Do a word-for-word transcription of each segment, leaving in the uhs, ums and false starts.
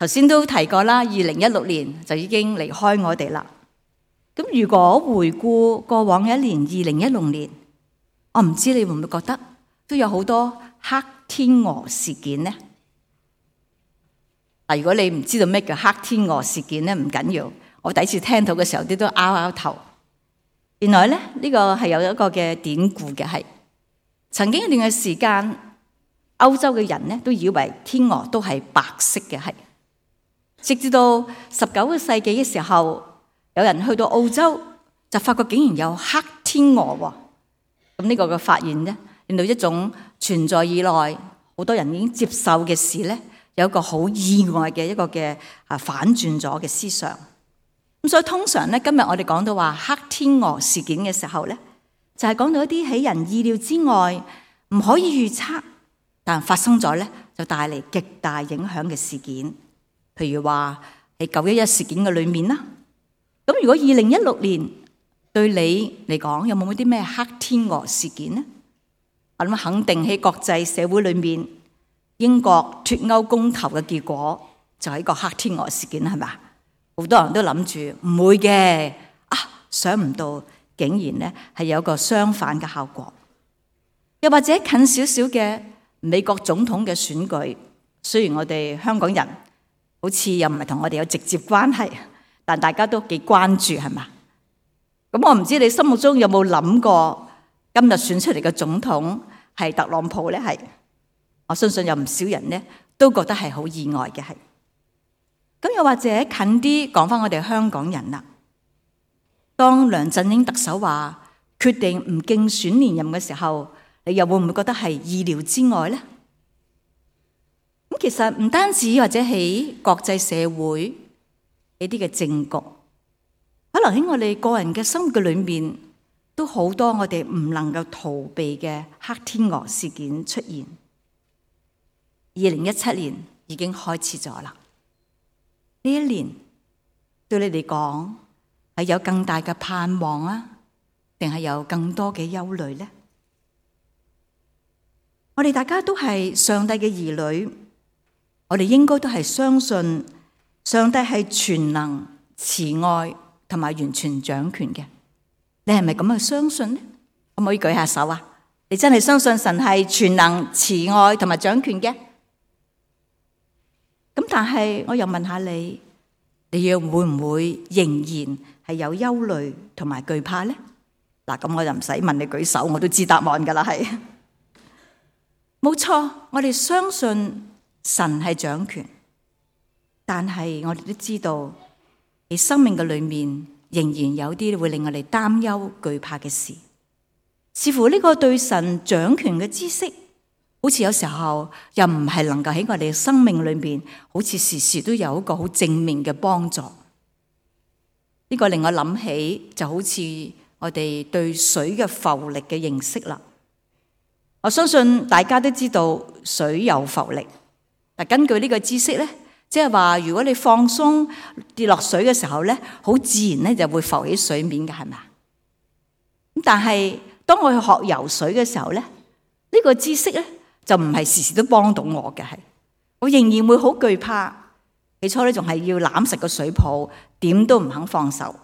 頭先都提過啦，二零一六年就已經離開我哋啦。咁如果回顧過往一年，二零一六年，我唔知你會唔會覺得都有好多黑天鵝事件呢？如果你唔知道咩叫黑天鵝事件咧，唔緊要。我第一次聽到嘅時候，啲都拗拗頭。原來咧，呢個係有一個嘅典故嘅，係曾經一段嘅時間，歐洲嘅人咧都以為天鵝都係白色嘅，係直至到十九個世紀嘅時候，有人去到澳洲就發覺竟然有黑天鵝喎。咁呢個嘅發現咧，令到一種存在以來好多人已經接受嘅事咧，有一個好意外嘅一個嘅啊反轉咗嘅思想。咁所以通常咧，今日我哋講到話黑天鵝事件嘅時候咧，就係講到一啲喺人意料之外，唔可以預測，但發生咗咧就帶嚟極大影響嘅事件。譬如話喺九一一事件嘅裏面啦。咁如果二零一六年對你嚟講有冇啲咩黑天鵝事件呢？我諗肯定喺國際社會裏面，英國脫歐公投嘅結果就係一個黑天鵝事件，係咪？好多人都諗住唔會嘅，啊，想唔到竟然咧係有一個相反嘅效果。又或者近少少嘅美國總統嘅選舉，雖然我哋香港人好似又唔係同我哋有直接關係，但大家都幾關注，係嘛？咁我唔知你心目中有冇諗過今日選出嚟嘅總統係特朗普咧？係，我相信有唔少人咧都覺得係好意外嘅，係。咁又或者近啲講翻我哋香港人啦，當梁振英特首話決定唔競選連任嘅時候，你又會唔會覺得係意料之外咧？咁其實唔單止或者喺國際社會呢啲嘅政局，可能喺我哋個人嘅生活嘅裏面，都好多我哋唔能夠逃避嘅黑天鵝事件出現。二零一七年已經開始咗啦。呢一年對你嚟講係有更大嘅盼望啊，定係有更多嘅憂慮呢？我哋大家都係上帝嘅兒女，我哋應該都係相信上帝係全能、慈愛同埋完全掌權嘅。你係咪咁去相信呢？可唔可以舉下手啊？你真係相信神係全能、慈愛同埋掌權嘅？咁但係我又問下你，你又會唔會仍然係有憂慮同埋懼怕呢？嗱，咁我就唔使問你舉手，我都知答案噶啦，係冇錯。我哋相信神係掌權，但係我哋都知道喺生命嘅裏面仍然有啲會令我哋擔憂懼怕嘅事。似乎呢個對神掌權嘅知識，好似有時候又唔係能夠喺我哋嘅生命裏面，好似時時都有一個好正面嘅幫助。呢個令我諗起，就好似我哋對水嘅浮力嘅認識啦。我相信大家都知道水有浮力，但根據呢個知識咧，即係話如果你放鬆跌落水嘅時候咧，好自然咧就會浮起水面嘅，係咪？咁但係當我去學游水嘅時候咧，呢個知識咧，就唔係時時都幫到我嘅，係我仍然會好懼怕。起初咧仲係要攬實個水泡，點都唔肯放手。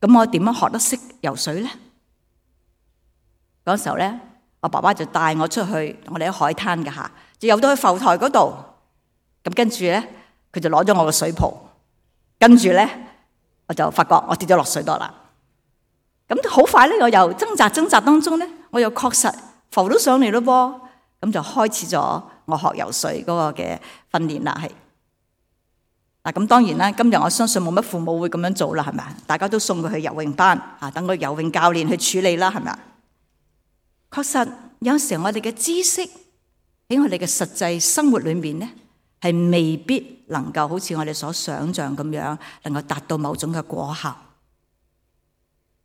咁我點樣學得識游水咧？嗰時候咧，我爸爸就帶我出去，我哋喺海灘嘅下，就游到去浮台嗰度。咁跟住咧，佢就攞咗我個水泡，跟住咧，我就發覺我跌咗落水度啦。咁好快咧，我又掙扎掙扎當中咧，我又確實浮到上嚟咯噃。咁就開始咗我學游水嗰個嘅訓練啦，係嗱。咁當然啦，今日我相信冇乜父母會咁樣做啦，係咪？大家都送佢去游泳班啊，等個游泳教練去處理啦，係咪？確實有時候我哋嘅知識喺我哋嘅實際生活裏面咧，係未必能夠好似我哋所想象咁樣，能夠達到某種嘅果效。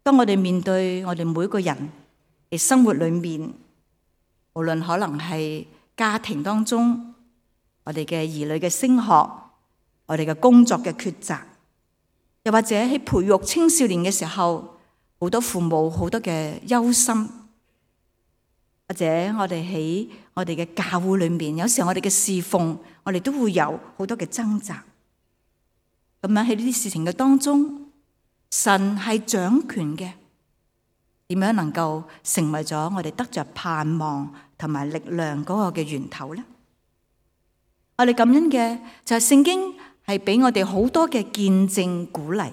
當我哋面對我哋每個人嘅生活裏面，無論可能係家庭當中，我哋嘅兒女嘅升學，我哋嘅工作嘅抉擇，又或者喺培育青少年嘅時候，好多父母好多嘅憂心，或者我哋喺我哋嘅教會裏面，有時候我哋嘅侍奉，我哋都會有好多嘅掙扎。咁樣喺呢啲事情嘅當中，神係掌權嘅，點樣能夠成為咗我哋得着盼望同埋力量嗰個嘅源頭呢？我哋感恩嘅就係聖經係俾我哋好多嘅見證鼓勵，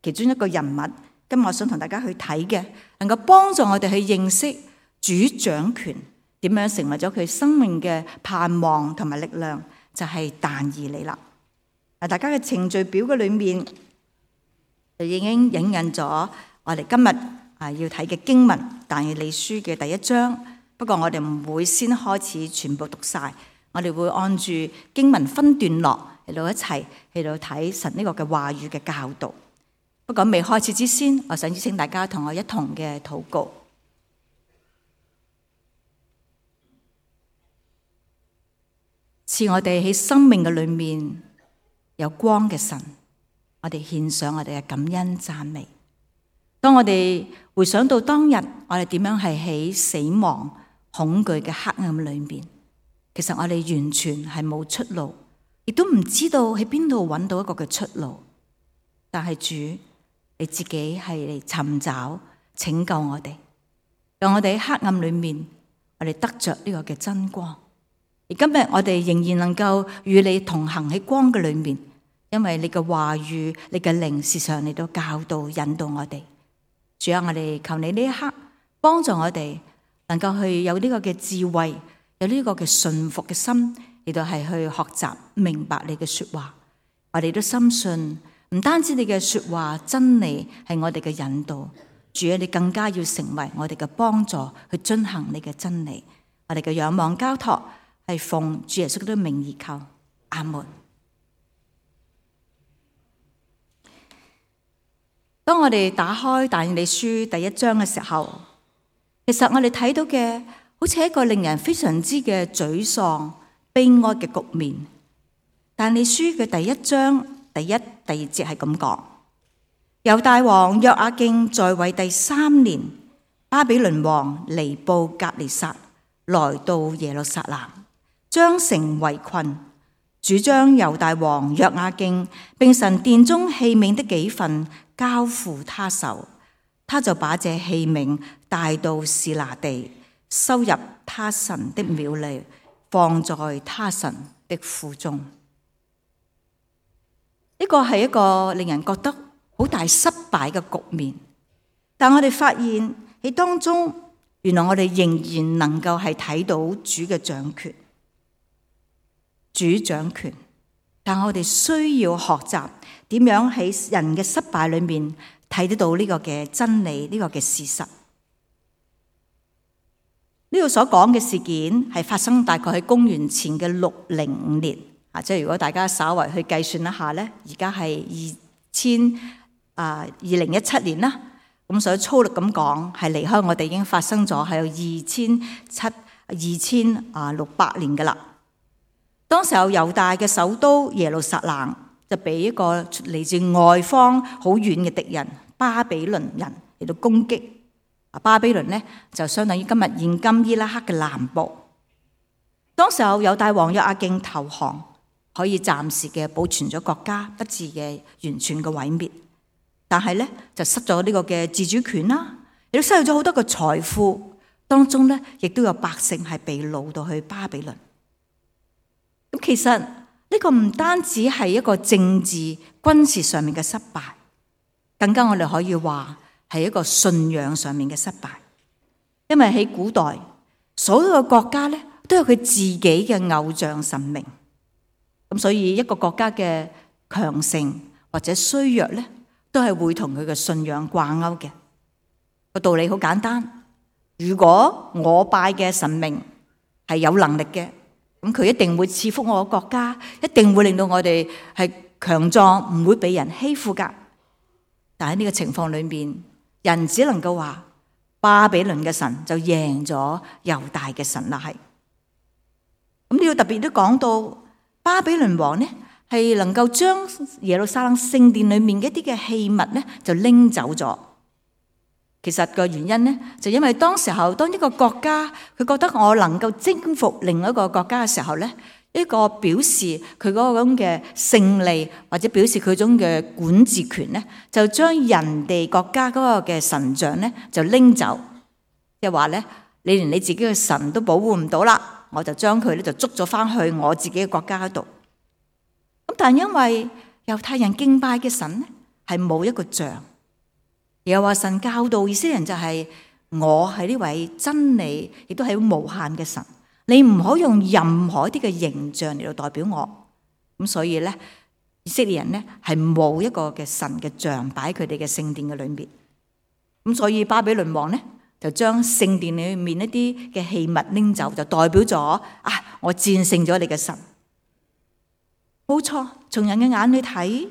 其中一個人物，今日我想同大家去睇嘅，能夠幫助我哋去認識主掌權，點樣成為咗佢生命嘅盼望同埋力量，就係但以理啦。嗱，大家嘅程序表嘅裏面就已經影印咗我哋今日啊要睇嘅經文，但以理書嘅第一章。不過我哋唔會先開始全部讀晒，我哋會按住經文分段落嚟到一齊嚟到睇神呢個嘅話語嘅教導。不過未開始之先，我想邀請大家同我一同嘅禱告。賜我哋喺生命嘅裏面有光嘅神，我哋獻上我哋嘅感恩讚美。當我哋回想到當日我哋點樣係喺死亡恐懼嘅黑暗裏面，其實我哋完全係冇出路，亦都唔知道喺邊度揾到一個嘅出路。但係主，你自己係嚟尋找拯救我哋，讓我哋喺黑暗裏面，我哋得着呢個嘅真光。而今日我哋仍然能夠與你同行喺光嘅裏面，因為你嘅話語、你嘅靈時常嚟到教導、引導我哋。主啊，我哋求你呢一刻幫助我哋，能夠去有呢個嘅智慧，有呢個嘅順服嘅心，嚟到係去學習明白你嘅說話。我哋都深信，唔單止你嘅說話真理係我哋嘅引導，主啊，你更加要成為我哋嘅幫助，去遵行你嘅真理。我哋嘅仰望交託係奉主耶穌嘅名而求，阿門。當我哋打開但以理書第一章嘅時候，其實我哋睇到嘅好似係一個令人非常之嘅沮喪、悲哀嘅局面。但以理書嘅第一章第一、第二節係咁講：猶大王約雅敬在位第三年，巴比倫王尼布甲尼撒來到耶路撒冷，將城圍困，主將猶大王約雅敬並神殿中器皿的幾份交付他手，他就把這器皿帶到示拿地，收入他神的廟裏，放在他神的庫中。呢個係一個令人覺得好大失敗嘅局面，但我哋發現喺當中，原來我哋仍然能夠係睇到主嘅掌權。主掌權，但我哋需要學習點樣喺人嘅失敗裏面睇得到呢個嘅真理，呢個嘅事實。呢度所講嘅事件係發生大概喺公元前嘅六零五年啊，即係如果大家稍為去計算一下咧，而家係二千啊二零一七年啦，咁所以粗略咁講，係離開我哋已經發生咗係有二千七二千啊六百年噶啦。當時有猶大嘅首都耶路撒冷就俾一個嚟自外方好遠嘅敵人巴比倫人嚟到攻擊。啊，巴比倫呢就相當於今日現今伊拉克嘅南部。當時有猶大王約雅敬投降，可以暫時嘅保存咗國家，不致嘅完全嘅毀滅。但係咧就失咗呢個嘅自主權啦，亦都失去咗好多嘅財富。當中咧亦都有百姓係被擄到去巴比倫。咁其實呢個唔單止係一個政治軍事上面嘅失敗，更加我哋可以話係一個信仰上面嘅失敗。因為喺古代所有嘅國家咧都有佢自己嘅偶像神明，咁所以一個國家嘅強盛或者衰弱咧，都係會同佢嘅信仰掛鈎嘅。個道理好簡單，如果我拜嘅神明係有能力嘅，咁佢一定會賜福我嘅國家，一定會令到我哋係強壯，唔會俾人欺負噶。但喺呢個情況裏面，人只能夠話巴比倫嘅神就贏咗猶大嘅神啦。係咁，呢度特別都講到巴比倫王呢係能夠將耶路撒冷聖殿裏面嘅一啲嘅器物呢就拎走咗。其實個原因咧，就因為當時候當一個國家佢覺得我能夠征服另一個國家嘅時候咧，一個表示佢嗰個咁嘅勝利，或者表示佢種嘅管治權咧，就將人哋國家嗰個嘅神像咧就拎走，即係話咧，你連你自己嘅神都保護唔到啦，我就將佢咧就捉咗翻去我自己嘅國家嗰度。咁但係因為猶太人敬拜嘅神咧係冇一個像。又話神教導以色列人就係我係呢位真理，亦都係無限嘅神，你唔可以用任何一啲嘅形象嚟到代表我。咁所以咧，以色列人咧係冇一個嘅神嘅像擺喺佢哋嘅聖殿嘅裏面。咁所以巴比倫王咧就將聖殿裏面一啲嘅器物拎走，就代表咗啊，我戰勝咗你嘅神。冇錯，從人嘅眼裏睇，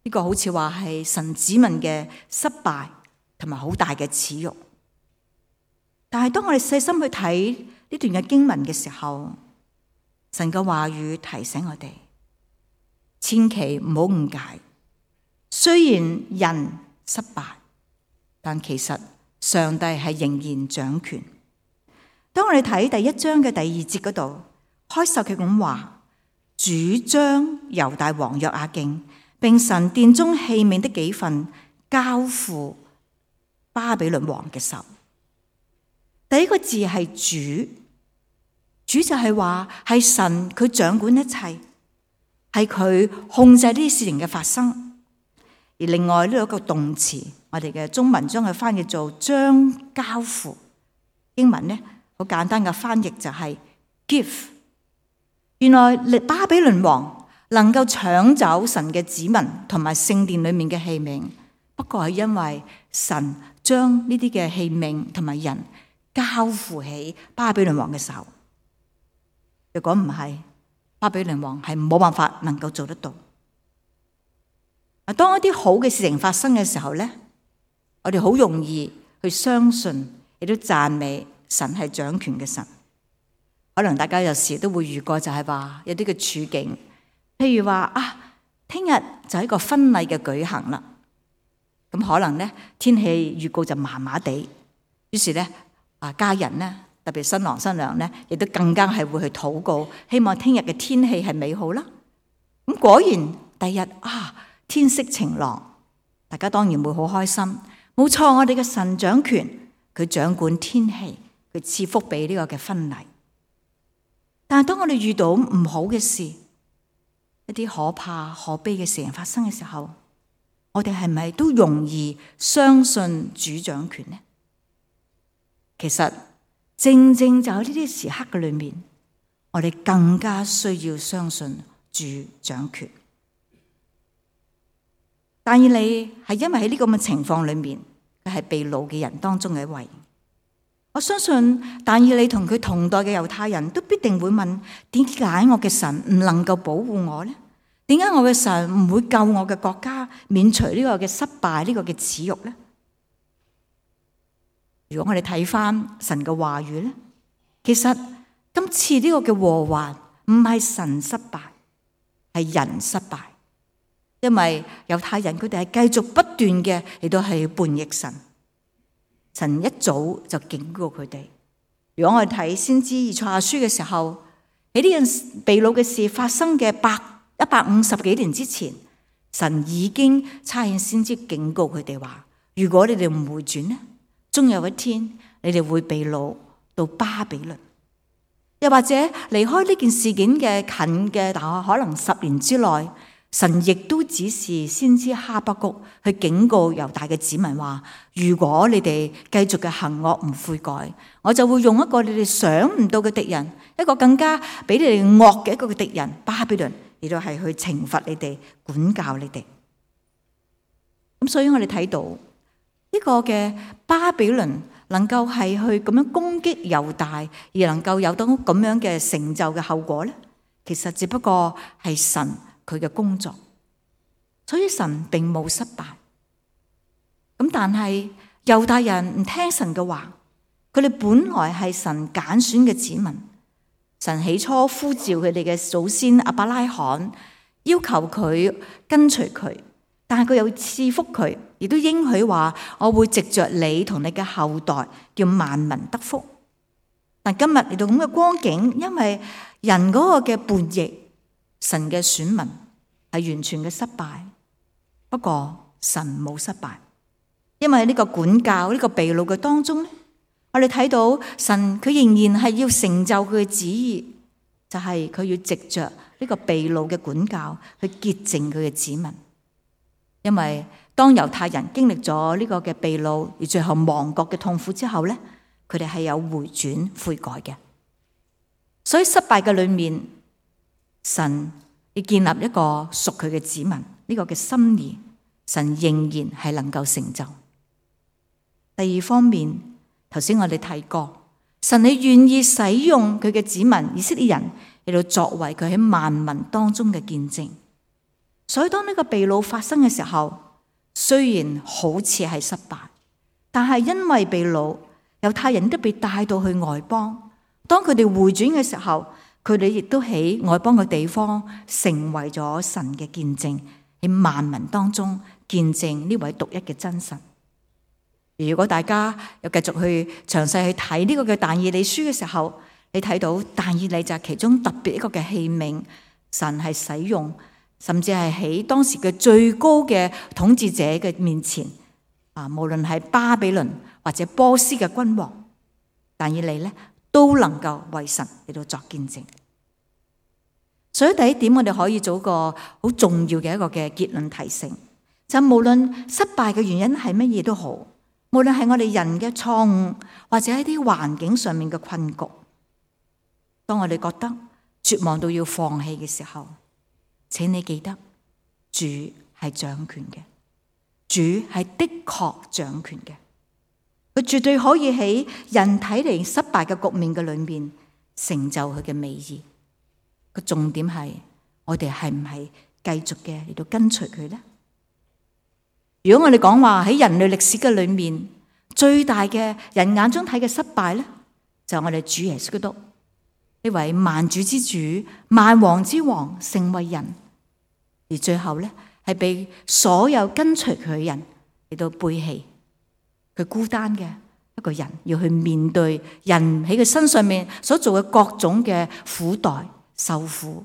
呢個好似話係神子民嘅失敗同埋好大嘅恥辱，但係當我哋細心去睇呢段嘅經文嘅時候，神嘅話語提醒我哋，千祈唔好誤解。雖然人失敗，但其實上帝係仍然掌權。當我哋睇第一章嘅第二節嗰度，開首佢咁話：主將猶大王約雅敬並神殿中器皿的幾份交付巴比倫王嘅手。第一個字係主，主就係話係神，佢掌管一切，係佢控制呢啲事情嘅發生。而另外呢有一個動詞，我哋嘅中文將佢翻譯做將交付，英文呢好簡單嘅翻譯就係 give。原來巴比倫王能夠搶走神嘅子民同埋聖殿裏面嘅器皿，不過係因為神將呢啲嘅器皿同埋人交付喺巴比倫王嘅手。如果唔係，巴比倫王係冇辦法能夠做得到。當一啲好嘅事情發生嘅時候咧，我哋好容易去相信，亦都讚美神係掌權嘅神。可能大家有時都會遇過，就係話有啲嘅處境，譬如話啊，聽日就係一個婚禮嘅舉行啦。咁可能咧天氣預告就麻麻地，於是咧啊家人咧，特別新郎新娘咧，亦都更加係會去禱告，希望聽日嘅天氣係美好啦。咁果然第日啊天色晴朗，大家當然會好開心。冇錯，我哋嘅神掌權，佢掌管天氣，佢賜福俾呢個嘅婚禮。但係當我哋遇到唔好嘅事，一啲可怕可悲嘅事情發生嘅時候，我哋係咪都容易相信主掌權呢？其實正正就喺呢啲時刻嘅裏面，我哋更加需要相信主掌權。但以理係因為喺呢個咁嘅情況裏面，佢係被擄嘅人當中嘅一位。我相信但以理同佢同代嘅猶太人都必定會問：點解我嘅神唔能夠保護我呢？點解我嘅神唔會救我嘅國家免除呢個嘅失敗，呢個嘅恥辱呢？如果我哋睇翻神嘅話語咧，其實今次呢個嘅禍患唔係神失敗，係人失敗。因為猶太人佢哋係繼續不斷嘅亦都係叛逆神。神一早就警告佢哋。如果我哋睇先知以賽亞書嘅時候，喺呢件被擄嘅事發生嘅百一百五十幾年之前，神已經差遣先知警告佢哋話：如果你哋唔回轉呢，終有一天你哋會被擄到巴比倫。又或者離開呢件事件嘅近嘅，但可能十年之內，神亦都指示先知哈巴谷去警告猶大嘅子民話：如果你哋繼續嘅行惡唔悔改，我就會用一個你哋想唔到嘅敵人，一個更加比你哋惡嘅一個嘅敵人巴比倫，亦都係去懲罰你哋、管教你哋。咁所以我哋睇到呢個嘅巴比倫能夠係去咁樣攻擊猶大，而能夠有到咁樣嘅成就嘅後果咧，其實只不過係神佢嘅工作，所以神並冇失敗。咁但係猶大人唔聽神嘅話，佢哋本來係神揀選嘅子民，神起初呼召佢哋嘅祖先亞伯拉罕，要求佢跟隨佢，但係佢又賜福佢，亦都應許話我會藉着你同你嘅後代叫萬民得福。但今日嚟到咁嘅光景，因為人嗰個嘅叛逆，神嘅選民係完全嘅失敗。不過神冇失敗，因為喺呢個管教呢個被擄嘅當中咧，我哋睇到神佢仍然係要成就佢嘅旨意，就係佢要藉着呢個被擄嘅管教去潔淨佢嘅子民。因為當猶太人經歷咗呢個嘅被擄而最後亡國嘅痛苦之後咧，佢哋係有回轉悔改嘅。所以失敗嘅裏面，神要建立一個屬佢嘅子民，呢個嘅心意，神仍然係能夠成就。第二方面，頭先我哋提過，神你願意使用佢嘅子民以色列人嚟到作為佢喺萬民當中嘅見證。所以當呢個被擄發生嘅時候，雖然好似係失敗，但係因為被擄，猶太人都被帶到去外邦。當佢哋回轉嘅時候，佢哋亦都喺外邦嘅地方成為咗神嘅見證，喺萬民當中見證呢位獨一嘅真神。如果大家又繼續去詳細去睇呢個嘅但以理書嘅時候，你睇到但以理就係其中特別一個嘅器皿，神係使用，甚至係喺當時嘅最高嘅統治者嘅面前，啊，無論係巴比倫或者波斯嘅君王，但以理咧都能夠為神嚟到作見證。所以第一點，我哋可以做個好重要嘅一個嘅結論提醒，就無論失敗嘅原因係乜嘢都好，無論係我哋人嘅錯誤，或者一啲環境上面嘅困局，當我哋覺得絕望到要放棄嘅時候，請你記得主係掌權嘅，主係的確掌權嘅，佢絕對可以喺人睇嚟失敗嘅局面嘅裏面成就佢嘅美意。個重點係我哋係唔係繼續嘅嚟到跟隨佢呢？如果我哋講話喺人類歷史嘅裏面最大嘅人眼中睇嘅失敗咧，就係我哋主耶穌基督呢位萬主之主、萬王之王成為人，而最後咧係被所有跟隨佢嘅人嚟到背棄，佢孤單嘅一個人要去面對人喺佢身上面所做嘅各種嘅苦待、受苦，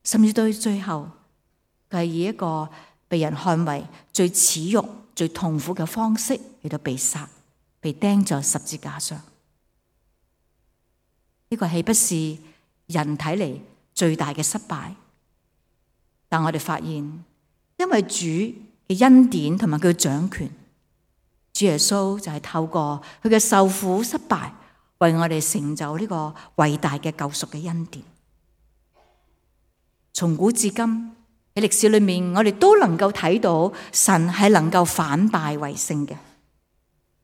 甚至到最後佢係以一個被人看為最恥辱、最痛苦嘅方式嚟到被殺，被釘在十字架上。呢個豈不是人睇嚟最大嘅失敗？但我哋發現，因為主嘅恩典同埋佢嘅掌權，主耶穌就係透過佢嘅受苦失敗，為我哋成就呢個偉大嘅救贖嘅恩典。從古至今喺歷史裏面，我哋都能夠睇到神係能夠反敗為勝嘅。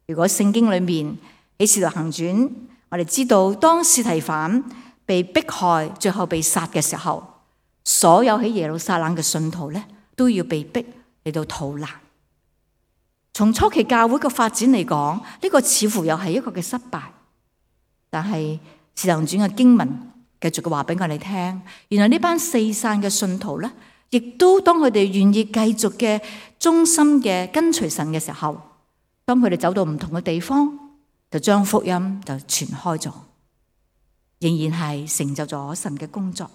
如果聖經裏面喺《使徒行傳》，我哋知道當司提反被迫害，最後被殺嘅時候，所有喺耶路撒冷嘅信徒咧都要被逼嚟到逃難。從初期教會嘅發展嚟講，呢個似乎又係一個嘅失敗。但係《使徒行傳》嘅經文繼續嘅話俾我哋聽，原來呢班四散嘅信徒咧，亦都當佢哋願意繼續嘅忠心嘅跟隨神嘅時候，當佢哋走到唔同嘅地方，就將福音就傳開咗，仍然係成就咗神嘅工作。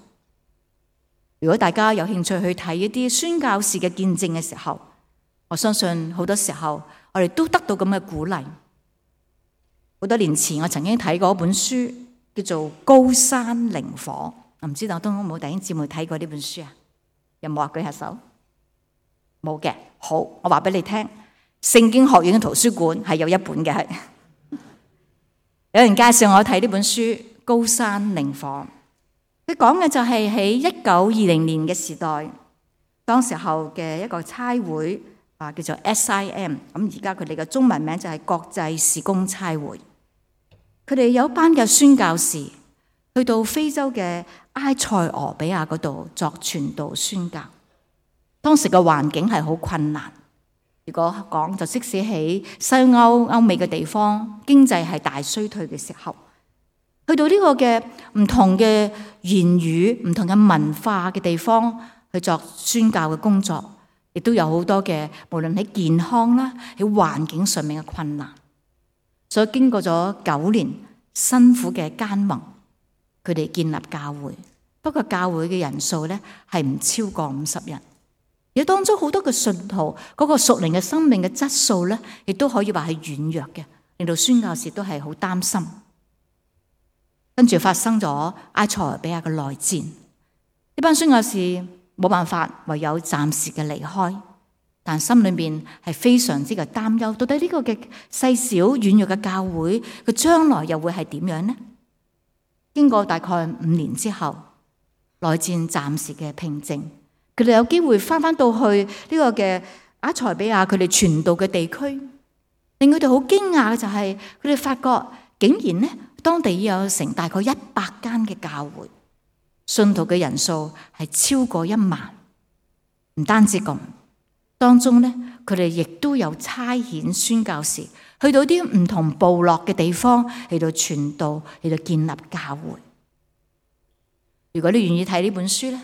如果大家有興趣去睇一啲宣教士嘅見證嘅時候，我相信好多時候我哋都得到咁嘅鼓勵。好多年前我曾經睇過一本書，叫做《高山靈火》，我唔知道都有冇弟兄姊妹睇過呢本書啊？有冇啊？舉下手。冇嘅。好，我話俾你聽，聖經學院嘅圖書館係有一本嘅。係有人介紹我睇呢本書《高山靈火》，佢講嘅就係喺一九二零年嘅時代，當時候嘅一個差會啊，叫做 S I M， 咁而家佢哋嘅中文名就係國際事工差會。佢哋有一班嘅宣教士去到非洲嘅埃塞俄比亞嗰度作傳道宣教。當時嘅環境係好困難，如果講就即使喺西歐歐美嘅地方，經濟係大衰退嘅時候，去到呢個嘅唔同嘅言語、唔同嘅文化嘅地方去作宣教嘅工作，亦亦都有好多嘅，無論喺健康啦，喺環境上面嘅困難。所以經過咗九年辛苦嘅耕耘，佢哋建立教會。不過教會嘅人數咧係唔超過五十人，而當中好多嘅信徒嗰個屬靈嘅生命嘅質素咧，亦都可以話係軟弱嘅，令到宣教士都係好擔心。跟住發生咗埃塞俄比亞嘅內戰，呢班宣教士冇辦法，唯有暫時嘅離開，但心裏面係非常之嘅擔憂，到底呢個嘅細小軟弱嘅教會佢將來又會係點樣呢？經過大概五年之後，內戰暫時嘅平靜，佢哋有機會翻翻到去呢個嘅埃塞俄比亞佢哋傳道嘅地區，令佢哋好驚訝嘅就係佢哋發覺竟然呢當地有成大概一百間嘅教會，信徒嘅人數係超過一萬。唔單止咁，當中呢佢哋亦都有差遣宣教士去到啲唔同部落嘅地方嚟到傳道，嚟到建立教會。如果你願意睇呢本書咧，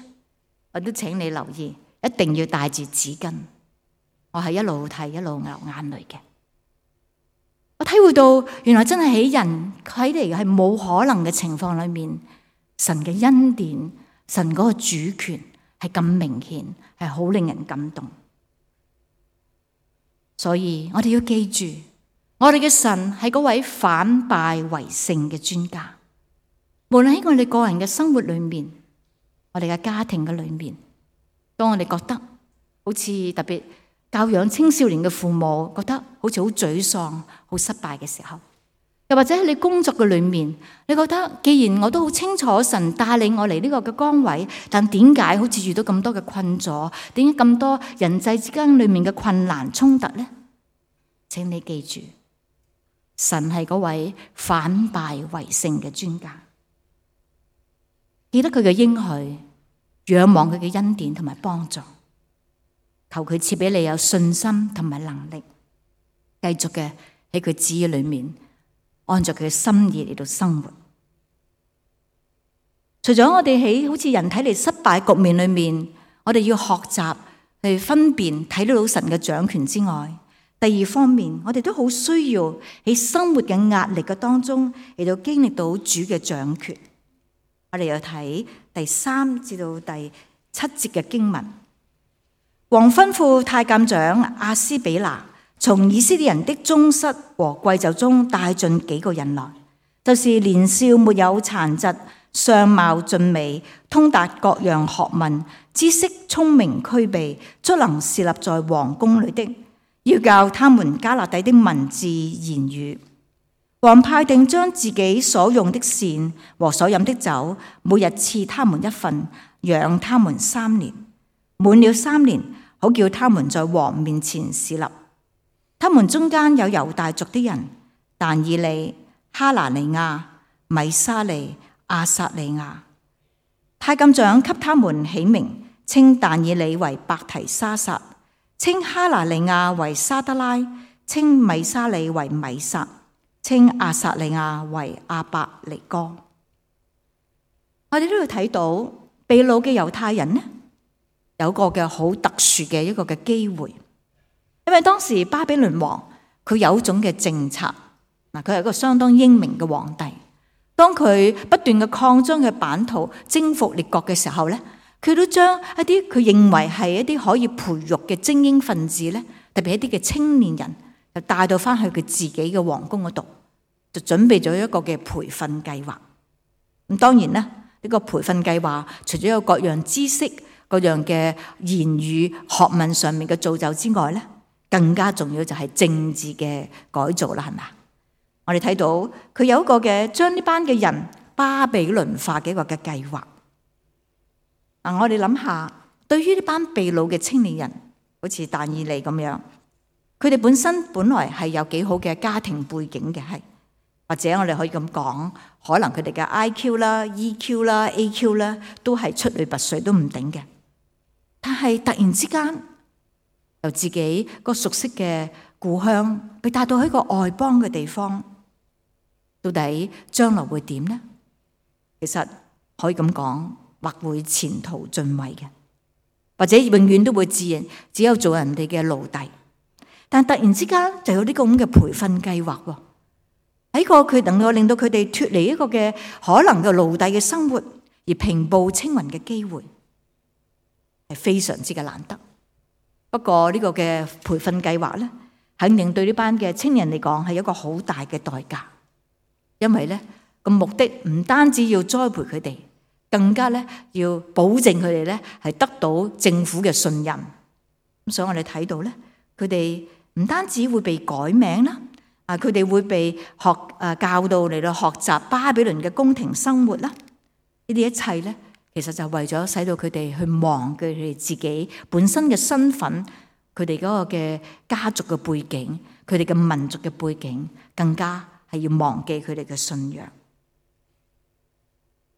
我都請你留意，一定要帶住紙巾。我係一路睇一路流眼淚嘅。我體會到原來真係喺人睇嚟係冇可能嘅情況裏面，神嘅恩典、神嗰個主權係咁明顯，係好令人感動。所以我哋要記住，我哋嘅神係嗰位反敗為勝嘅專家。無論喺我哋個人嘅生活裏面，我哋嘅家庭嘅裏面，當我哋覺得好似特別教養青少年嘅父母覺得好似好沮喪、好失敗嘅時候，又或者喺你工作嘅裏面，你覺得既然我都好清楚神帶領我嚟呢個嘅崗位，但點解好似遇到咁多嘅困阻？點解咁多人際之間裏面嘅困難衝突呢？請你記住，神係嗰位反敗為勝嘅專家。記得佢嘅應許，仰望佢嘅恩典同埋幫助，求佢賜俾你有信心同埋能力，繼續嘅喺佢旨意裏面，按照佢嘅心意嚟到生活。除咗我哋喺好似人睇嚟失敗局面裏面，我哋要學習去分辨睇得到神嘅掌權之外，第二方面，我哋都好需要喺生活嘅壓力嘅當中嚟到經歷到主嘅掌權。我哋又睇第三至到第七節嘅經文。王吩咐太監長亞斯比拿從以色列人的宗室和貴胄中帶進幾個人來，就是年少沒有殘疾、相貌俊美、通達各樣學問、知識聰明俱備、足能侍立在王宮裏的，要教他們迦勒底的文字言語。王派定將自己所用的膳和所飲的酒，每日賜他們一份，養他們三年。滿了三年，好叫他們在王面前侍立。他們中間有猶大族的人，但以利、哈拿尼亞、米沙利、亞撒利亞。太監長給他們起名，稱但以利為伯提沙撒，稱哈拿尼亞為沙得拉，稱米沙利為米撒，稱亞撒利亞為亞伯尼哥。我哋都要睇到被擄嘅猶太人呢，有個嘅好特殊嘅一個嘅機會，因為當時巴比倫王佢有一種嘅政策，嗱，佢係一個相當英明嘅皇帝。當佢不斷嘅擴張嘅版圖，征服列國嘅時候咧，佢都將一啲佢認為係一啲可以培育嘅精英分子咧，特別一啲嘅青年人，就帶到翻去佢自己嘅皇宮嗰度，就準備咗一個嘅培訓計劃。咁當然啦，呢個培訓計劃除咗有各樣知識、各樣嘅言語、學問上面嘅造就之外咧，更加重要就係政治嘅改造啦，係咪？我哋睇到佢有一個嘅將呢班嘅人巴比倫化嘅一個嘅計劃。嗱，我哋諗下，對於呢班被擄嘅青年人，好似但以利咁樣，佢哋本身本來係有幾好嘅家庭背景嘅，係或者我哋可以咁講，可能佢哋嘅 I Q 啦、E Q 啦、A Q 啦，都係出類拔萃都唔頂嘅。但係突然之間，由自己個熟悉嘅故鄉，被帶到去一個外邦嘅地方，到底將來會點呢？其實可以咁講，或會前途盡毀嘅。或者永遠都會自認只有做人哋嘅奴隸。但突然之間就有呢個咁嘅培訓計劃喎，喺個佢能夠令到佢哋脫離一個嘅可能嘅奴隸嘅生活，而平步青雲嘅機會，係非常之嘅難得。不過呢個嘅培訓計劃咧，肯定對呢班嘅青年嚟講係一個好大嘅代價，因為咧個目的唔單止要栽培佢哋，更加咧要保證佢哋咧係得到政府嘅信任。咁所以我哋睇到咧，佢哋唔單止會被改名啦，啊佢哋會被學誒教導嚟到學習巴比倫嘅宮廷生活啦。呢啲一切咧，其實就為咗使到佢哋去忘記佢哋自己本身嘅身份，佢哋嗰個嘅家族嘅背景，佢哋嘅民族嘅背景，更加係要忘記佢哋嘅信仰。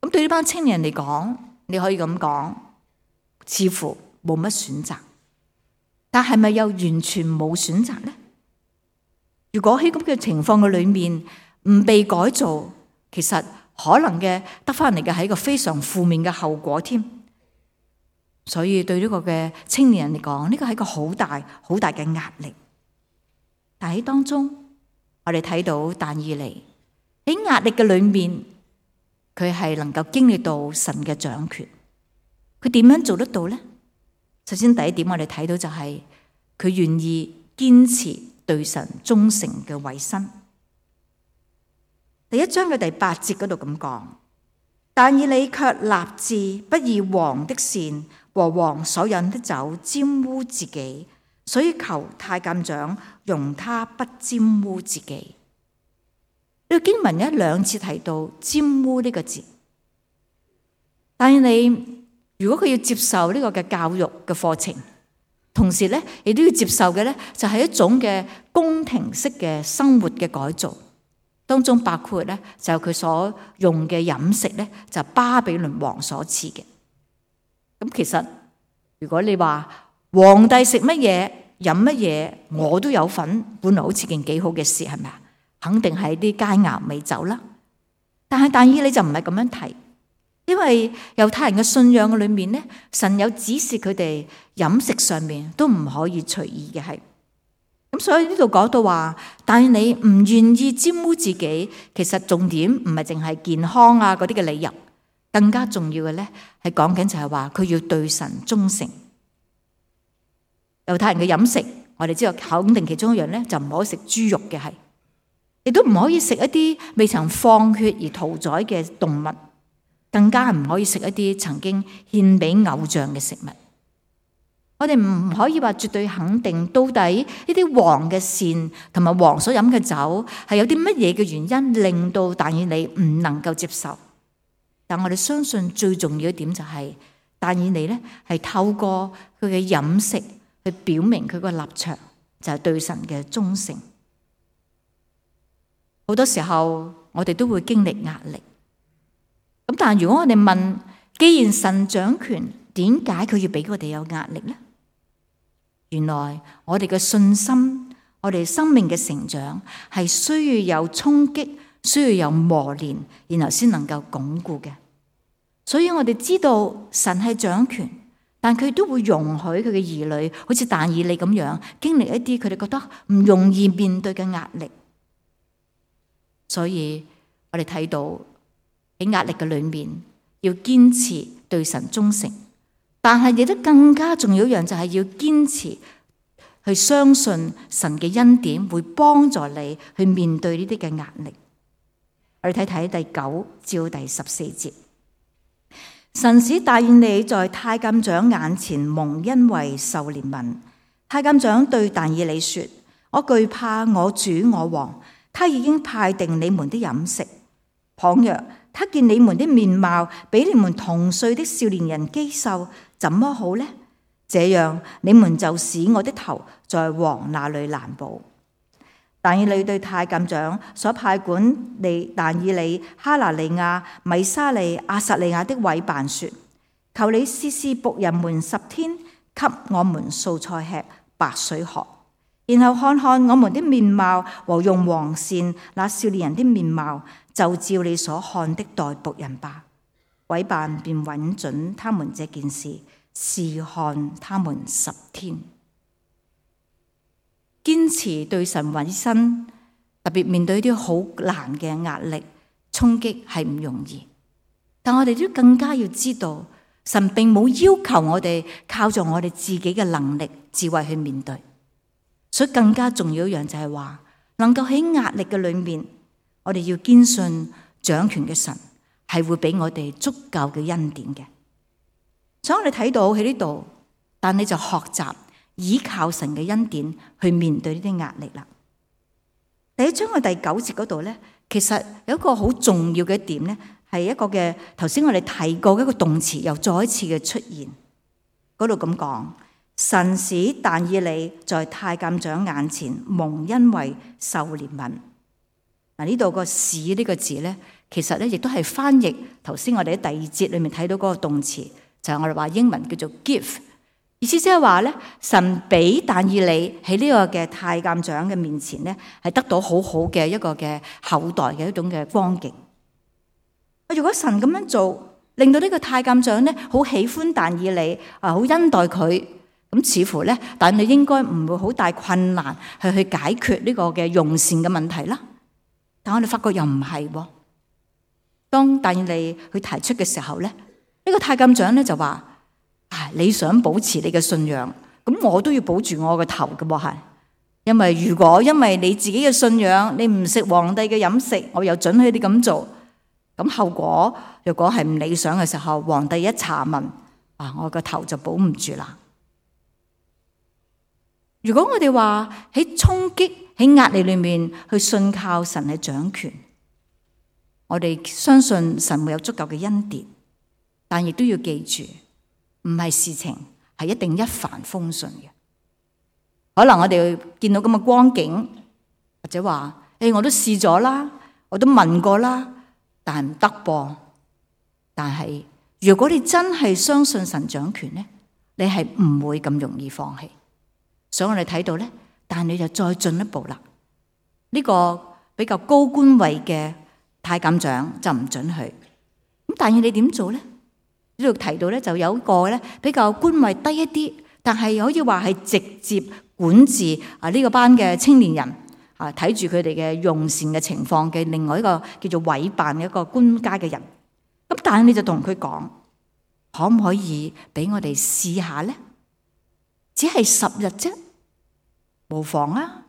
咁對呢班青年人嚟講，你可以咁講，似乎冇乜選擇。但係咪又完全冇選擇呢？如果喺咁嘅情況嘅裏面唔被改造，其實可能嘅得翻嚟嘅係一個非常負面嘅後果添。所以對呢個嘅青年人嚟講，呢個係一個好大好大嘅壓力。但喺當中，我哋睇到但以理喺壓力嘅裏面，佢係能夠經歷到神嘅掌權。佢點樣做得到呢？首先第一點，我哋睇到就係佢願意堅持對神忠誠嘅委身。第一章嘅第八節嗰度咁講，但以理卻立志不以王的善和王所飲的酒沾污自己，所以求太監長容他不沾污自己。呢個經文一兩次提到沾污呢個字，但以理如果佢要接受呢個嘅教育嘅課程，同時咧亦都要接受嘅咧就係一種嘅宮廷式嘅生活嘅改造，當中包括咧就佢所用嘅飲食咧就巴比倫王所賜嘅。咁其實如果你話皇帝食乜嘢飲乜嘢，我都有份，本來好似件幾好嘅事，係咪啊？肯定係啲佳肴美酒啦。但係但以理就唔係咁樣提。因為猶太人嘅信仰嘅裏面咧，神有指示佢哋飲食上面都唔可以隨意嘅係。咁所以呢度講到話，但係你唔願意沾污自己，其實重點唔係淨係健康啊嗰啲嘅理由，更加重要嘅咧係講緊就係話佢要對神忠誠。猶太人嘅飲食，我哋知道肯定其中一樣咧就唔可以食豬肉嘅係，亦都唔可以食一啲未曾放血而屠宰嘅動物。更加唔可以食一啲曾經獻俾偶像嘅食物。我哋唔可以話絕對肯定到底呢啲王嘅膳同埋王所飲嘅酒係有啲乜嘢嘅原因令到但以理唔能夠接受。但我哋相信最重要一點就係但以理咧係透過佢嘅飲食去表明佢個立場，就係對神嘅忠誠。好多時候我哋都會經歷壓力。咁但係如果我哋問，既然神掌權，點解佢要俾我哋有壓力呢？原來我哋嘅信心，我哋生命嘅成長係需要有衝擊，需要有磨練，然後先能夠鞏固嘅。所以我哋知道神係掌權，但佢都會容許佢嘅兒女，好似但以理咁樣，經歷一啲佢哋覺得唔容易面對嘅壓力。所以我哋睇到。喺壓力嘅裏面，要堅持對神忠誠，但係亦都更加重要一樣，就係要堅持去相信神嘅恩典會幫助你去面對呢啲嘅壓力。我哋睇睇第九至第十四節，神使但以理在太監長眼前蒙恩惠受憐憫。太監長對但以理說：我懼怕我主我王，他已經派定你們的飲食。倘若他見你們的面貌比你們同歲的少年人肌瘦，怎麼好呢？這樣你們就使我的頭在王那裏難保。但以理對太監長所派管理但以理、哈拿利亞、米沙利、亞撒利亞的委辦說：求你試試僕人們十天，給我們素菜吃，白水喝，然後看看我們的面貌和用王膳那少年人的面貌，就照你所看的待僕人吧。委辦便允准他們這件事，試看他們十天。堅持對神委身，特別面對啲好難嘅壓力衝擊係唔容易，但我哋都更加要知道，神並冇要求我哋靠住我哋自己嘅能力智慧去面對，所以更加重要一樣就係話，能夠喺壓力嘅裏面，我哋要堅信掌權嘅神係會俾我哋足夠嘅恩典嘅。所以我哋睇到喺呢度，但你就學習依靠神嘅恩典去面對呢啲壓力啦。第一章嘅第九節嗰度咧，其實有一個好重要嘅一點咧，係一個嘅頭先我哋提過嘅一個動詞又再一次嘅出現。嗰度咁講，神使但以理在太監長眼前蒙恩惠受憐憫。嗱，呢度個使呢個字咧，其實咧亦都係翻譯頭先我哋喺第二節裏面睇到嗰個動詞，就係我哋話英文叫做 give。意思即係話咧，神俾但以理喺呢個嘅太監長嘅面前咧，係得到好好嘅一個嘅後代嘅一種嘅光景。如果神咁樣做，令到呢個太監長咧好喜歡但以理啊，好恩待佢，咁似乎咧，但你應該唔會好大困難去去解決呢個嘅用膳嘅問題啦。但我哋發覺又唔係喎。當但以理去提出嘅時候咧，呢個太監長咧就話。啊！你想保持你嘅信仰，咁我都要保住我個頭嘅喎，係。因為如果因為你自己嘅信仰，你唔食皇帝嘅飲食，我又准許你咁做，咁後果若果係唔理想嘅時候，皇帝一查問，啊，我個頭就保唔住啦。如果我哋話喺衝擊喺壓力裏面去信靠神嘅掌權，我哋相信神會有足夠嘅恩典，但亦都要記住。唔係事情係一定一帆風順嘅，可能我哋見到咁嘅光景，或者話誒，我都試咗啦，我都問過啦，但係唔得噃。但係如果你真係相信神掌權咧，你係唔會咁容易放棄。所以我哋睇到咧，但係你就再進一步啦。呢個比較高官位嘅太監長就唔准許。咁但係你點做咧？呢度提到咧，就有一個咧比較官位低一啲，但係可以話係直接管治啊呢個班嘅青年人啊，睇住佢哋嘅用膳嘅情況嘅另外一個叫做委辦嘅一個官家嘅人。咁但係你就同佢講，可唔可以俾我哋試下咧？只係十日啫，無妨啊。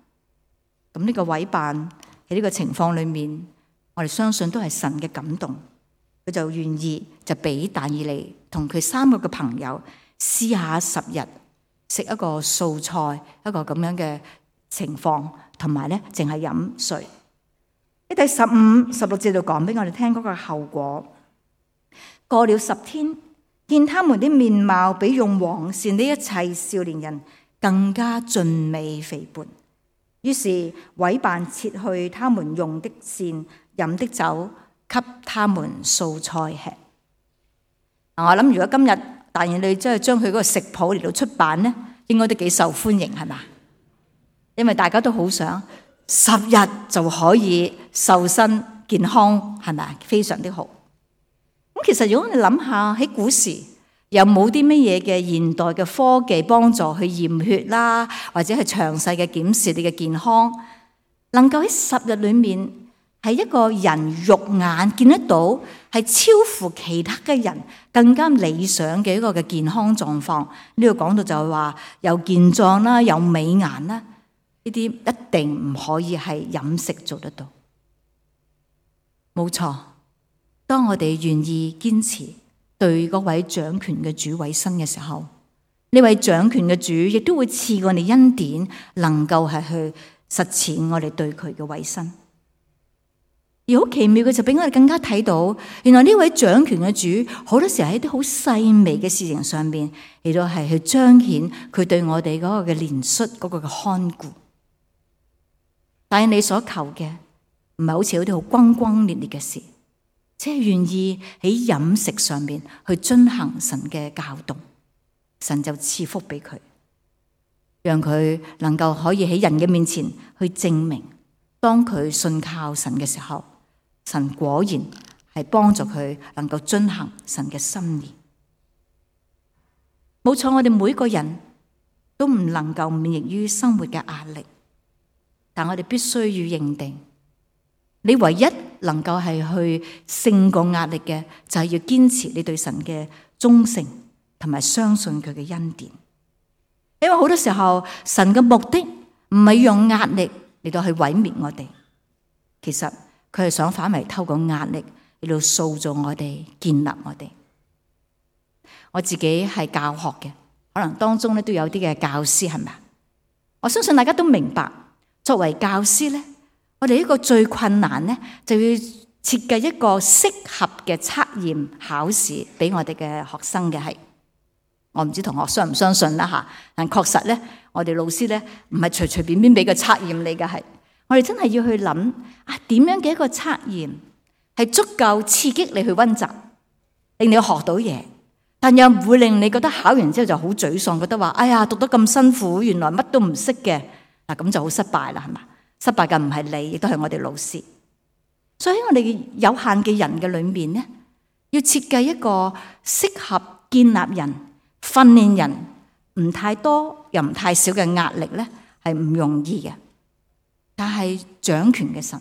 咁呢個委辦喺呢個情況裏面，我哋相信都係神嘅感動。佢就願意就俾但以理同佢三個嘅朋友試下十日食一個素菜，一個咁樣嘅情況，同埋咧淨係飲水。喺第十五、十六節度講俾我哋聽嗰個後果。過了十天，見他們的面貌比用黃鱔的一切少年人更加俊美肥胖，於是委辦撤去他們用的膳、飲的酒，給他們素菜吃。我諗如果今日但以理真係將佢嗰個食譜嚟到出版咧，應該都幾受歡迎，係嘛？因為大家都好想十日就可以瘦身健康，係咪？非常的好。咁其實如果你諗下喺古時有冇啲乜嘢嘅現代嘅科技幫助去驗血啦，或者係詳細嘅檢視你嘅健康，能夠喺十日裏面係一個人肉眼見得到，係超乎其他嘅人更加理想嘅一個嘅健康狀況。呢度講到就係話有健壯啦，有美顏啦，呢啲一定唔可以係飲食做得到。冇錯，當我哋願意堅持對嗰位掌權嘅主委身嘅時候，呢位掌權嘅主亦都會賜我哋恩典，能夠係去實踐我哋對佢嘅委身。而好奇妙嘅就俾我哋更加睇到，原來呢位掌權嘅主好多時候喺啲好細微嘅事情上面，亦都係去彰顯佢對我哋嗰個嘅憐恤，嗰個嘅看顧。但係你所求嘅唔係好似有啲好轟轟烈烈嘅事，即係願意喺飲食上面去遵行神嘅教導，神就賜福俾佢，讓佢能夠可以喺人嘅面前去證明，當佢信靠神嘅時候，神果然係幫助佢能夠遵行神嘅心意。冇錯，我哋每個人都唔能夠免疫於生活嘅壓力，但我哋必須要認定，你唯一能夠係去勝過壓力嘅，就係要堅持你對神嘅忠誠，同埋相信佢嘅恩典。因為好多時候，神嘅目的唔係用壓力嚟到去毀滅我哋，其實佢係想反為透過壓力嚟到塑造我哋、建立我哋。我自己係教學嘅，可能當中咧都有啲嘅教師，係咪啊？我相信大家都明白，作為教師咧，我哋一個最困難咧，就要設計一個適合嘅測驗考試俾我哋嘅學生嘅係。我唔知同學相唔相信啦吓，但確實咧，我哋老師咧唔係隨隨便便俾個測驗你嘅係，我哋真係要去諗啊，點樣嘅一個測驗係足夠刺激你去溫習，令你學到嘢，但又唔會令你覺得考完之後就好沮喪，覺得話哎呀讀得咁辛苦，原來乜都唔識嘅，嗱咁就好失敗啦，係嘛？失敗嘅唔係你，亦都係我哋老師。所以喺我哋有限嘅人嘅裏面咧，要設計一個適合建立人、訓練人唔太多又唔太少嘅壓力咧，係唔容易嘅。但係掌權嘅神，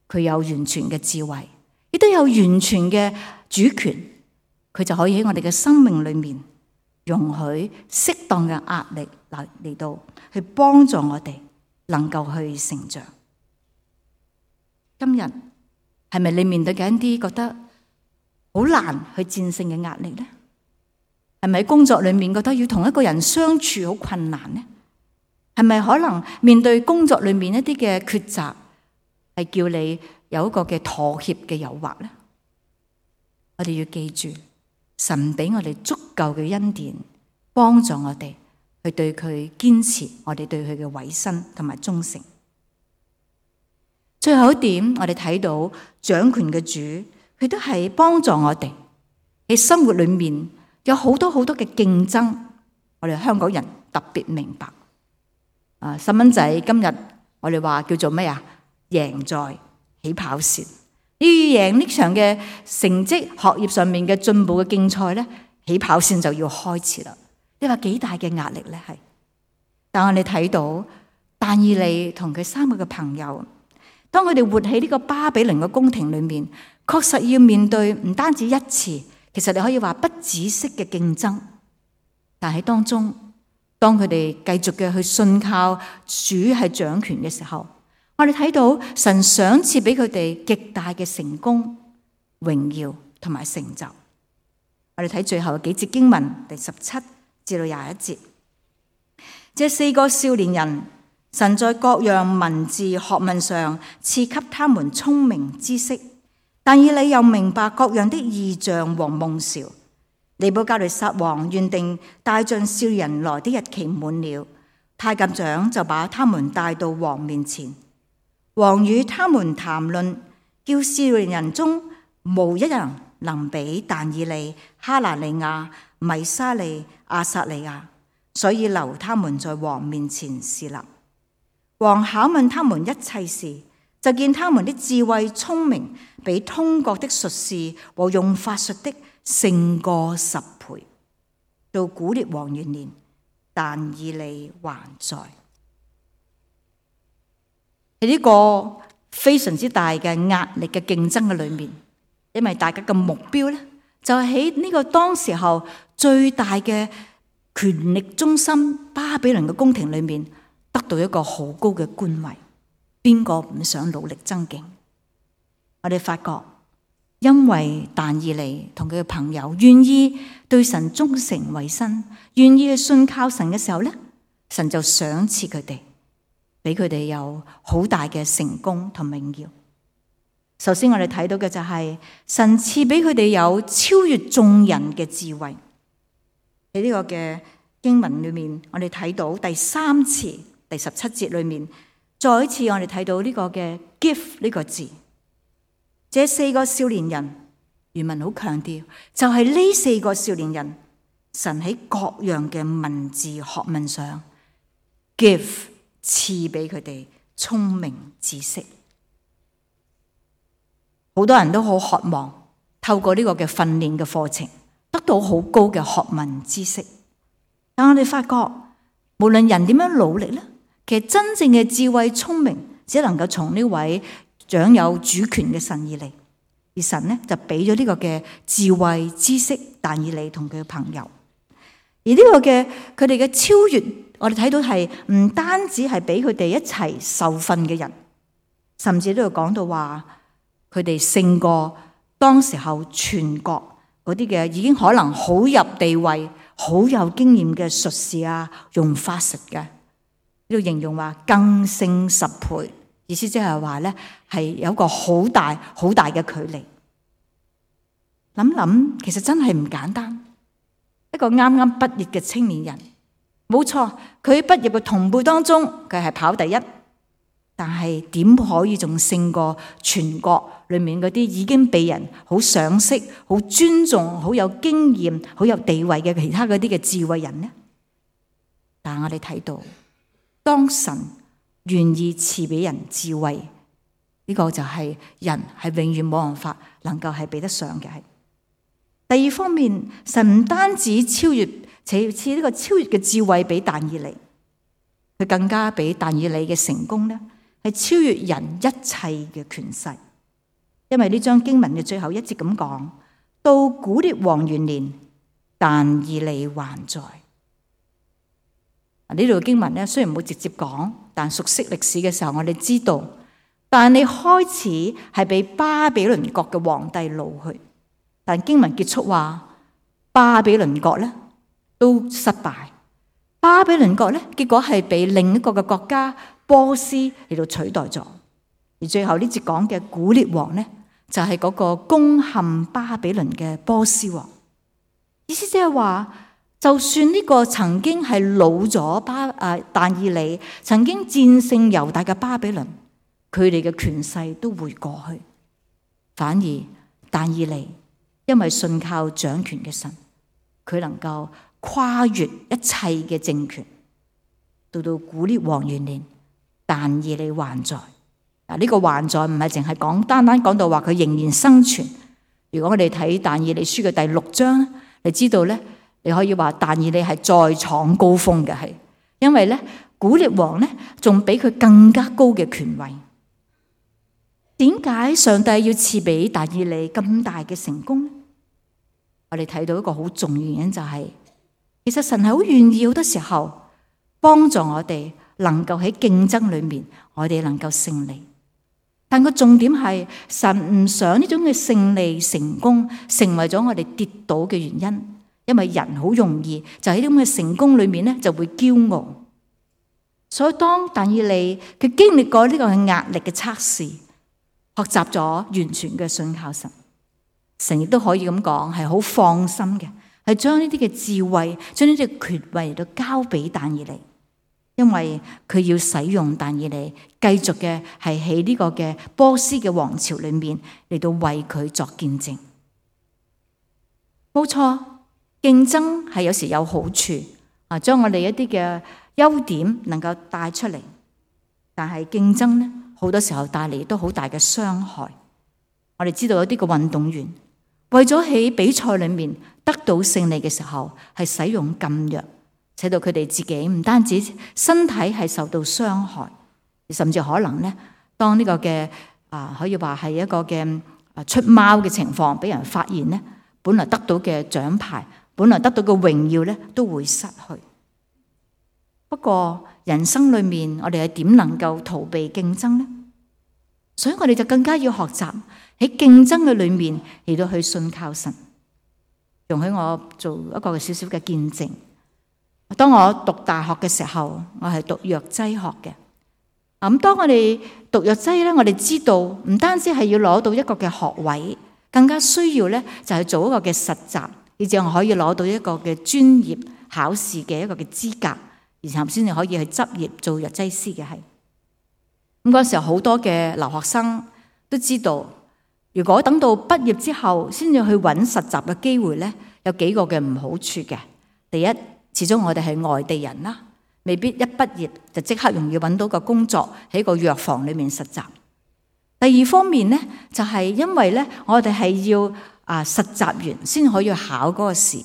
佢有完全嘅智慧，亦都有完全嘅主權，佢就可以喺我哋嘅生命裏面容許適當嘅壓力嚟嚟到去幫助我哋能夠去成長。今日係咪你面對緊一啲覺得好難去戰勝嘅壓力呢？係咪喺工作裏面覺得要同一個人相處好困難呢？係咪可能面對工作裏面一啲嘅抉擇，係叫你有一個嘅妥協嘅誘惑呢？我哋要記住，神俾我哋足夠嘅恩典，幫助我哋去對佢堅持，我哋對佢嘅委身同埋忠誠。最後一點，我哋睇到掌權嘅主，佢都係幫助我哋喺生活裏面有好多好多嘅競爭。我哋香港人特別明白。啊，細蚊仔今日我哋話叫做咩啊？贏在起跑線。要贏呢場嘅成績、學業上面嘅進步嘅競賽咧，起跑線就要開始啦。你話幾大嘅壓力咧？係，但我哋睇到但以理同佢三個嘅朋友，當佢哋活喺呢個巴比倫嘅宮廷裏面，確實要面對唔單止一次，其實你可以話不止息嘅競爭。但喺當中，當佢哋繼續嘅去信靠主係掌權嘅時候，我哋睇到神賞賜俾佢哋極大嘅成功、榮耀同埋成就。我哋睇最後幾節經文，第十七至到廿一節，這四個少年人，神在各樣文字學問上賜給他們聰明知識，但以理又明白各樣的異象和夢兆。尼布甲尼撒王原定帶進少年人來的日期滿了，太監長就把他們帶到王面前。王與他們談論，叫少年人中無一人能比但以理、哈拿尼亞、米沙利、亞撒利亞，所以留他們在王面前侍立。王考問他們一切事，就見他們的智慧聰明，比通國的術士和用法術的勝過十倍。到古列王元年，但以理還在。喺呢個非常之大嘅壓力嘅競爭嘅裏面，因為大家嘅目標咧，就係喺呢個當時候最大嘅權力中心巴比倫嘅宮廷裏面，得到一個好高嘅官位。邊個唔想努力爭競？我哋發覺，因為但以理同佢嘅朋友願意對神忠誠委身，願意去信靠神嘅時候咧，神就賞賜佢哋，俾佢哋有好大嘅成功同榮耀。首先我哋睇到嘅就係神賜俾佢哋有超越眾人嘅智慧。喺呢個嘅經文裏面，我哋睇到第三次第十七節裏面，再一次我哋睇到呢個嘅 gift 呢個字。這四個少年人，原文好強調，就係呢四個少年人，神喺各樣嘅文字學問上 give 賜俾佢哋聰明知識。好多人都好渴望透過呢個嘅訓練嘅課程，得到好高嘅學問知識。但我哋發覺，無論人點樣努力咧，其實真正嘅智慧聰明，只能夠從呢位掌有主權嘅神而嚟。而神咧就俾咗呢個嘅智慧知識，但以理同佢嘅朋友。而呢個嘅佢哋嘅超越，我哋睇到係唔單止係俾佢哋一齊受訓嘅人，甚至都有講到話佢哋勝過當時候全國嗰啲嘅已經可能好入地位、好有經驗嘅術士啊，用法術嘅，呢度形容話更勝十倍。意思即係話咧，係有一個好大好大嘅距離。諗諗，其實真係唔簡單。一個啱啱畢業嘅青年人，冇錯，佢喺畢業嘅同輩當中，佢係跑第一。但係點可以仲勝過全國裏面嗰啲已經被人好賞識、好尊重、好有經驗、好有地位嘅其他嗰啲嘅智慧人呢？但係我哋睇到，當神願意賜俾人智慧，呢個就係人係永遠冇辦法能夠係比得上嘅。係第二方面，神唔單止超越，且賜呢個超越嘅智慧俾但以理，佢更加俾但以理嘅成功呢，係超越人一切嘅權勢。因為呢章經文嘅最後一節咁講，到古列王元年，但以理還在。呢度經文咧雖然冇直接講，但熟悉歷史嘅時候，我哋知道，但你開始係被巴比倫國嘅皇帝擄去，但經文結束話巴比倫國咧都失敗，巴比倫國咧結果係被另一個嘅國家波斯嚟到取代咗，而最後呢節講嘅古列王咧就係嗰個攻陷巴比倫嘅波斯王。意思即係話，就算呢個曾經係擄咗巴啊但以理，曾經戰勝猶大嘅巴比倫，佢哋嘅權勢都會過去，反而但以理因為信靠掌權嘅神，佢能夠跨越一切嘅政權，到到古列王元年，但以理還在。嗱，呢個還在唔係淨係講單單講到話佢仍然生存。如果我哋睇但以理書嘅第六章，你知道咧，你可以話但以理係再創高峰嘅，係因為咧古列王咧仲比佢更加高嘅權位。點解上帝要賜俾但以理咁大嘅成功呢？我哋睇到一個好重要原因就係、是，其實神係好願意好多時候幫助我哋能夠喺競爭裏面，我哋能夠勝利。但個重點係神唔想呢種嘅勝利成功成為咗我哋跌倒嘅原因，因為人好容易就喺呢種嘅成功裏面咧就會驕傲。所以當但以理佢經歷過呢個係壓力嘅測試，學習咗完全嘅信靠神，神亦都可以咁講係好放心嘅，係將呢啲嘅智慧、將呢啲嘅權位都交俾但以理，因為佢要使用但以理繼續嘅係喺呢個嘅波斯嘅王朝裏面嚟到為佢作見證。冇錯，競爭係有時有好處啊，將我哋一啲嘅優點能夠帶出嚟，但係競爭呢，好多時候帶嚟都好大嘅傷害。我哋知道有啲嘅運動員為咗喺比賽裏面得到勝利嘅時候，係使用禁藥，使到佢哋自己唔單止身體係受到傷害，甚至可能咧，當呢個嘅啊可以話係一個嘅啊出貓嘅情況俾人發現咧，本來得到嘅獎牌，本來得到嘅榮耀咧，都會失去。不過人生裏面，我哋係點能夠逃避競爭呢？所以我哋就更加要學習喺競爭嘅裏面嚟到去信靠神。容許我做一個少少嘅見證。當我讀大學嘅時候，我係讀藥劑學嘅。咁當我哋讀藥劑咧，我哋知道唔單止係要攞到一個嘅學位，更加需要咧就係做一個嘅實習，以至我可以攞到一個嘅專業考試嘅一個嘅資格，然後先至可以去執業做藥劑師嘅。係咁嗰時候，好多嘅留學生都知道，如果等到畢業之後先至去揾實習嘅機會咧，有幾個嘅唔好處嘅。第一，始終我哋係外地人啦，未必一畢業就即刻容易揾到個工作喺個藥房裏面實習。第二方面咧，就係因為咧，我哋係要啊實習完先可以考嗰個試，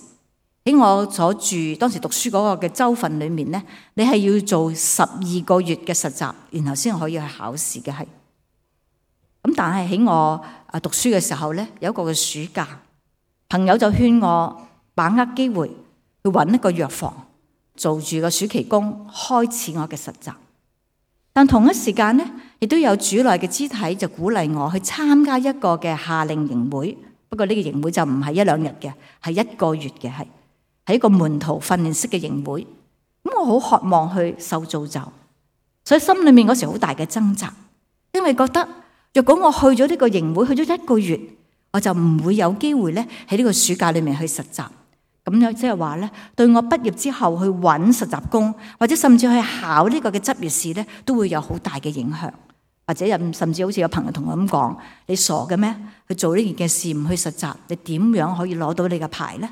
喺我所住當時讀書嗰個嘅州份裏面咧，你係要做十二個月嘅實習，然後先可以去考試嘅係。咁但係喺我啊讀書嘅時候咧，有一個嘅暑假，朋友就勸我把握機會去揾一個藥房做住個暑期工，開始我嘅實習。但同一時間咧，亦都有主內嘅肢體就鼓勵我去參加一個嘅夏令營會。不過呢個營會就唔係一兩日嘅，係一個月嘅，係係一個門徒訓練式嘅營會。咁我好渴望去受造就，所以心裏面嗰時好大嘅掙扎，因為覺得若果我去咗呢個營會，去咗一個月，我就唔會有機會咧喺呢個暑假裏面去實習。咁樣即係話咧，對我畢業之後去揾實習工，或者甚至去考呢個嘅執業試咧，都會有好大嘅影響。或者甚至好似有朋友同我咁講：你傻嘅咩？去做呢件嘅事唔去實習，你點樣可以攞到你嘅牌呢？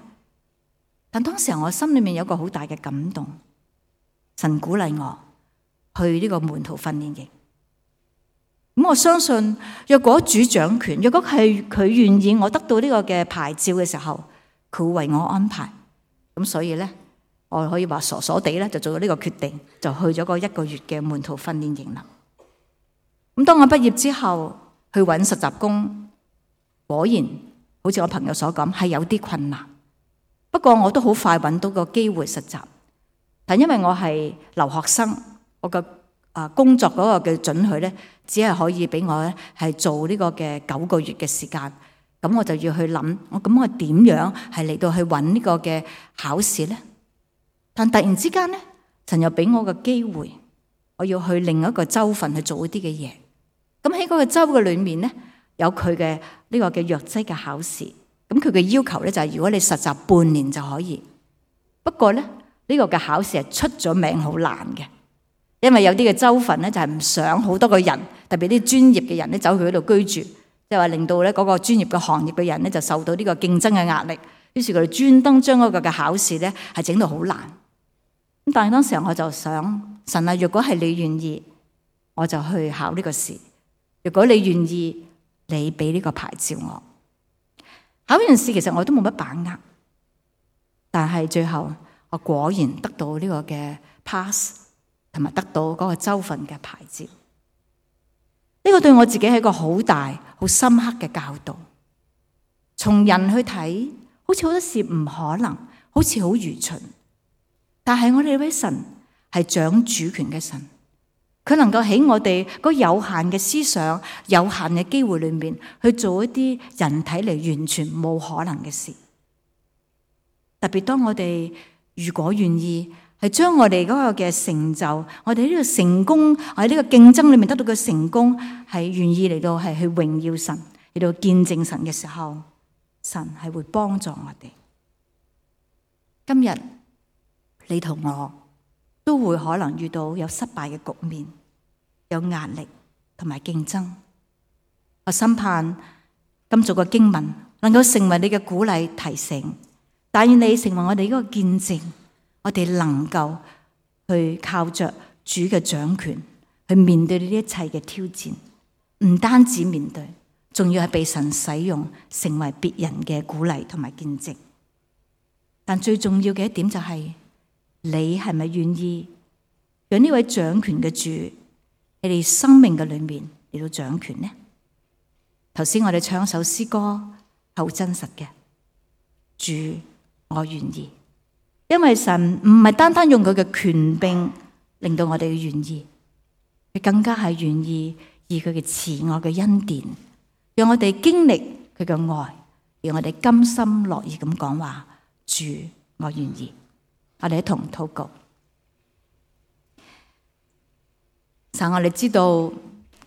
但當時我心裏面有個好大嘅感動，神鼓勵我去呢個門徒訓練營。咁我相信，若果主掌權，若果係佢願意我得到呢個嘅牌照嘅時候，佢會為我安排。咁所以咧，我可以話傻傻地咧就做咗呢個決定，就去咗個一個月嘅門徒訓練營啦。咁當我畢業之後去揾實習工，果然好似我朋友所講，係有啲困難。不過我都好快揾到個機會實習，但因為我係留學生，我嘅啊工作嗰個嘅准許咧，只係可以俾我咧係做呢個嘅九個月嘅時間。咁我就要去諗，我咁我點樣係嚟到去揾呢個嘅考試咧？但突然之間咧，神又俾我個機會，我要去另一個州份去做一啲嘅嘢。咁喺嗰個州嘅裏面咧，有佢嘅呢個嘅藥劑嘅考試。咁佢嘅要求咧就係，如果你實習半年就可以。不過咧，呢個嘅考試係出咗名好難嘅，因為有啲嘅州份咧就係唔想好多個人，特別啲專業嘅人咧走去嗰度居住，即係話令到咧嗰個專業嘅行業嘅人咧就受到呢個競爭嘅壓力。於是佢哋專登將嗰個嘅考試咧係整到好難。咁但係當時我就想，神啊，若果係你願意，我就去考呢個試。如果你願意，你俾呢個牌照我。考完試其實我都冇乜把握，但係最後我果然得到呢個嘅 pass， 同埋得到嗰個州份嘅牌照。呢個對我自己係一個好大、好深刻嘅教導。從人去睇，好似好多事唔可能，好似好愚蠢。但係我哋呢位神係掌主權嘅神。佢能夠喺我哋嗰有限嘅思想、有限嘅機會裏面去做一啲人睇嚟完全冇可能嘅事。特別當我哋如果願意係將我哋嗰個嘅成就、我哋呢個成功喺呢個競爭裏面得到嘅成功，係願意嚟到係去榮耀神、嚟到見證神嘅時候，神係會幫助我哋。今日你同我都會可能遇到有失敗嘅局面，有壓力同埋競爭。我深盼今早嘅經文能夠成為你嘅鼓勵提醒，但願你成為我哋嗰個見證，我哋能夠去靠着主嘅掌權去面對呢一切嘅挑戰，唔單止面對，仲要係被神使用，成為別人嘅鼓勵同埋見證。但最重要嘅一點就係，你係咪願意讓呢位掌權嘅主喺你生命嘅裏面嚟到掌權呢？頭先我哋唱一首詩歌，好真實嘅。主，我願意，因為神唔係單單用佢嘅權柄令到我哋願意，佢更加係願意以佢嘅慈愛嘅恩典，讓我哋經歷佢嘅愛，讓我哋甘心樂意咁講話：主，我願意。我哋一同禱告。神，我哋知道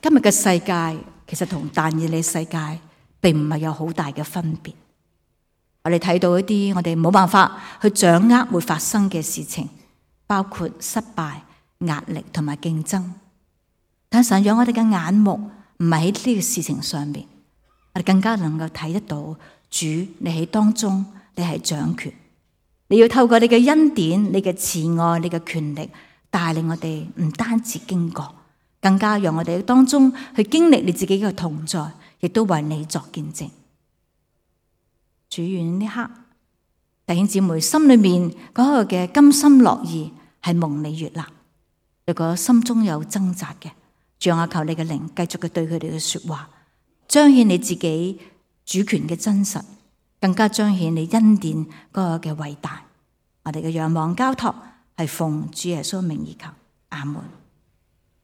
今日嘅世界其實同但以理世界並唔係有好大嘅分別。我哋睇到一啲我哋冇辦法去掌握會發生嘅事情，包括失敗、壓力同埋競爭。但神讓我哋嘅眼目唔係喺呢個事情上面，我哋更加能夠睇得到主，你喺當中，你係掌權。你要透過你嘅恩典、你嘅慈愛、你嘅權力，帶領我哋唔單止經過，更加讓我哋喺當中去經歷你自己嘅同在，亦都為你作見證。主，願呢刻弟兄姊妹心裏面嗰個嘅甘心樂意係蒙你悅納。如果心中有掙扎嘅，主啊，求你嘅靈繼續嘅對佢哋嘅說話，彰顯你自己主權嘅真實，更加彰顯你恩典嗰個嘅偉大。我哋嘅仰望交託係奉主耶穌名而求，阿門。